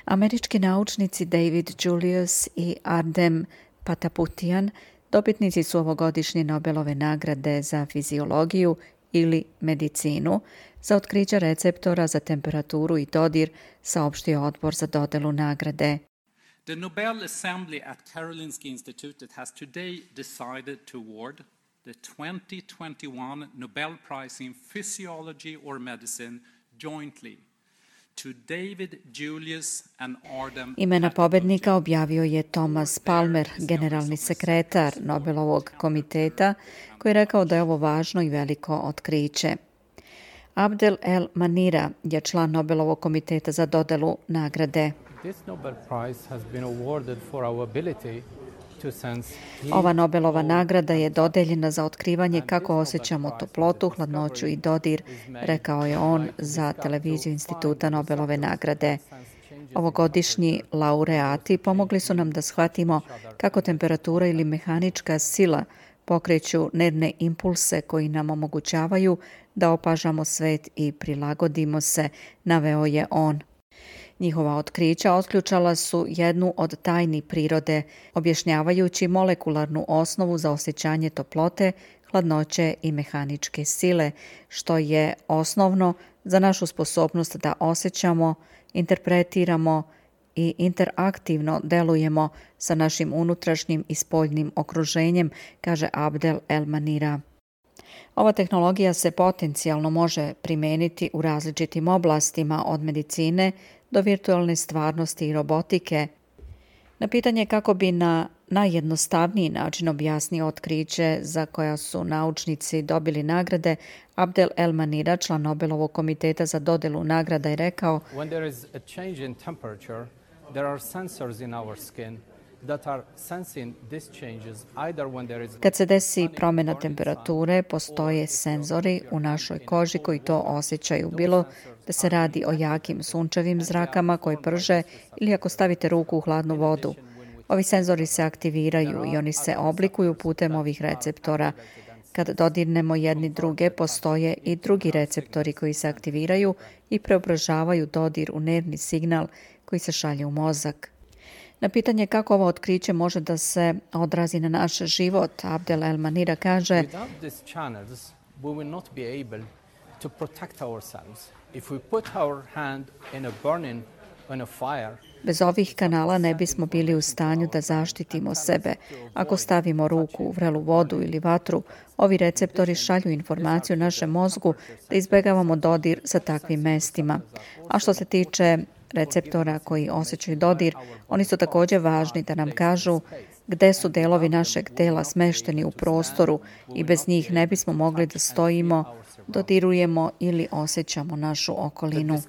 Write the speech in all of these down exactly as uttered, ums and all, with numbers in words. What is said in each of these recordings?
Američki naučnici David Julius i Ardem Pataputian dobitnici su ovogodišnje Nobelove nagrade za fiziologiju ili medicinu za otkriće receptora za temperaturu i dodir, saopštio odbor za dodelu nagrade. The Nobel Assembly at Karolinska Institutet has today decided to award the twenty twenty-one Nobel Prize in Physiology or Medicine jointly to David Julius and Ardem. Imena pobednika objavio je Thomas Palmer, generalni sekretar Nobelovog komiteta, koji je rekao da je ovo važno i veliko otkriće. Abdel El Manira je član Nobelovog komiteta za dodelu nagrade. This Nobel Prize has been awarded for our ability to sense heat. Ova Nobelova nagrada je dodeljena za otkrivanje kako osjećamo toplotu, hladnoću i dodir, rekao je on za televiziju Instituta Nobelove nagrade. Ovogodišnji laureati pomogli su nam da shvatimo kako temperatura ili mehanička sila pokreću nervne impulse koji nam omogućavaju da opažamo svet i prilagodimo se, naveo je on. Njihova otkrića otključala su jednu od tajni prirode, objašnjavajući molekularnu osnovu za osjećanje toplote, hladnoće i mehaničke sile, što je osnovno za našu sposobnost da osjećamo, interpretiramo i interaktivno delujemo sa našim unutrašnjim i spoljnim okruženjem, kaže Abdel El Manira. Ova tehnologija se potencijalno može primeniti u različitim oblastima od medicine do virtualne stvarnosti i robotike. Na pitanje kako bi na najjednostavniji način objasnio otkriće za koja su naučnici dobili nagrade, Abdel El Manira, član Nobelovog komiteta za dodelu nagrada, je rekao: When there is a change in temperature, there are sensors in our skin that are sensing these changes either when there is. Kad se desi promjena temperature, postoje senzori u našoj koži koji to osjećaju, bilo da se radi o jakim sunčevim zrakama koji prže ili ako stavite ruku u hladnu vodu. Ovi senzori se aktiviraju i oni se oblikuju putem ovih receptora. Kad dodirnemo jedni druge, postoje i drugi receptori koji se aktiviraju i preobražavaju dodir u nervni signal koji se šalje u mozak. Na pitanje kako ovo otkriće može da se odrazi na naš život, Abdel El Manira kaže: Without these channels, we will not be able to protect ourselves. If we put our hand in a burning, in a fire, bez ovih kanala ne bismo bili u stanju da zaštitimo sebe. Ako stavimo ruku u vrelu vodu ili vatru, ovi receptori šalju informaciju našem mozgu da izbegavamo dodir sa takvim mestima. A što se tiče receptora koji osjećaju dodir, oni su također važni da nam kažu gde su delovi našeg tela smešteni u prostoru i bez njih ne bismo mogli da stojimo, dodirujemo ili osjećamo našu okolinu.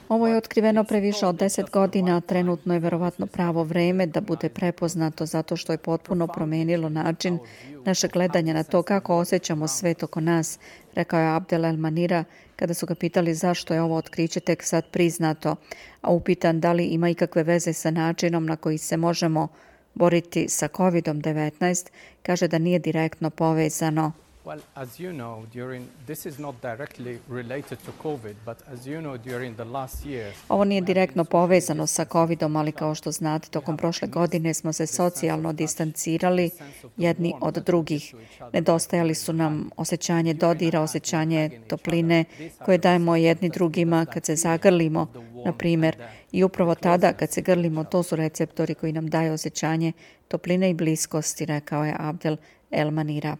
Ovo je otkriveno pre više od deset godina, a trenutno je verovatno pravo vreme da bude prepoznato zato što je potpuno promenilo način našeg gledanja na to kako osjećamo svet oko nas, rekao je Abdel El Manira kada su ga pitali zašto je ovo otkriće tek sad priznato, a upitan da li ima ikakve veze sa načinom na koji se možemo boriti sa kovid devetnaest, kaže da nije direktno povezano. Well, as you know, during this is not directly related to COVID, but as you know, during the last years. Ovo nije direktno povezano sa covidom, ali kao što znate, tokom prošle godine smo se socijalno distancirali jedni od drugih. Nedostajali su nam osjećanje dodira, osjećanje topline koje dajemo jedni drugima kad se zagrlimo, na primjer. I upravo tada kad se grlimo, to su receptori koji nam daju osjećanje topline i bliskosti, rekao je Abdel El Manira.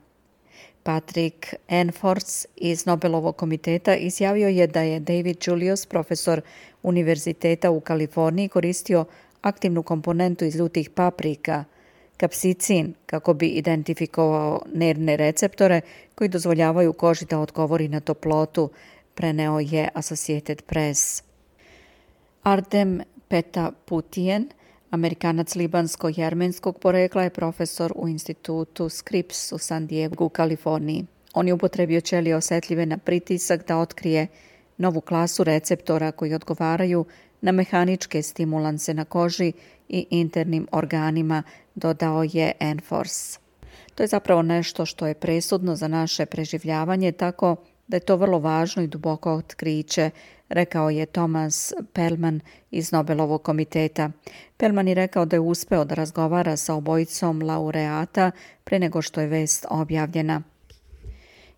Patrick Enfors iz Nobelovog komiteta izjavio je da je David Julius, profesor Univerziteta u Kaliforniji, koristio aktivnu komponentu iz ljutih paprika, kapsicin, kako bi identifikovao nervne receptore koji dozvoljavaju koži da odgovori na toplotu, preneo je Associated Press. Ardem Pataputian, Amerikanac libansko-jermenskog porekla, je profesor u institutu Scripps u San Diegu u Kaliforniji. On je upotrebio ćelije osetljive na pritisak da otkrije novu klasu receptora koji odgovaraju na mehaničke stimulanse na koži i internim organima, dodao je Enfors. To je zapravo nešto što je presudno za naše preživljavanje, tako da je to vrlo važno i duboko otkriće, rekao je Thomas Perlman iz Nobelovog komiteta. Perlman je rekao da je uspeo da razgovara sa obojicom laureata pre nego što je vest objavljena.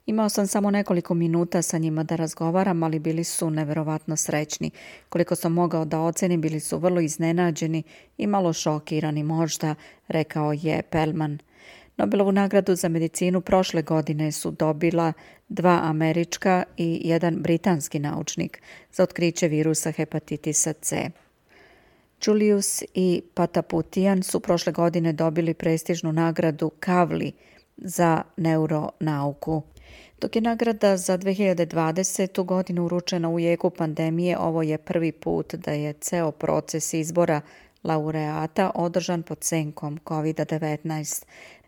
Imao sam samo nekoliko minuta sa njima da razgovaram, ali bili su neverovatno srećni. Koliko sam mogao da ocenim, bili su vrlo iznenađeni i malo šokirani možda, rekao je Perlman. Nobelovu nagradu za medicinu prošle godine su dobila dva američka i jedan britanski naučnik za otkriće virusa hepatitisa C. Julius i Pataputian su prošle godine dobili prestižnu nagradu Kavli za neuronauku. Dok je nagrada za dve hiljade dvadesetu. godinu uručena u jeku pandemije, ovo je prvi put da je ceo proces izbora laureata održan pod senkom kovid devetnaest.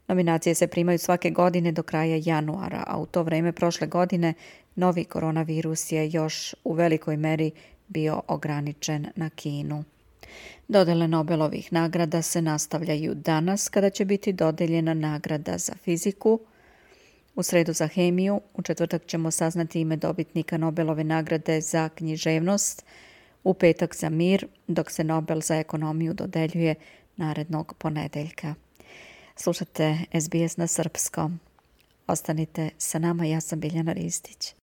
Nominacije se primaju svake godine do kraja januara, a u to vreme prošle godine novi koronavirus je još u velikoj meri bio ograničen na Kinu. Dodele Nobelovih nagrada se nastavljaju danas kada će biti dodeljena nagrada za fiziku, u sredu za hemiju, u četvrtak ćemo saznati ime dobitnika Nobelove nagrade za književnost, u petak za mir, dok se Nobel za ekonomiju dodeljuje narednog ponedeljka. Slušate S B S na srpskom. Ostanite sa nama, ja sam Biljana Ristić.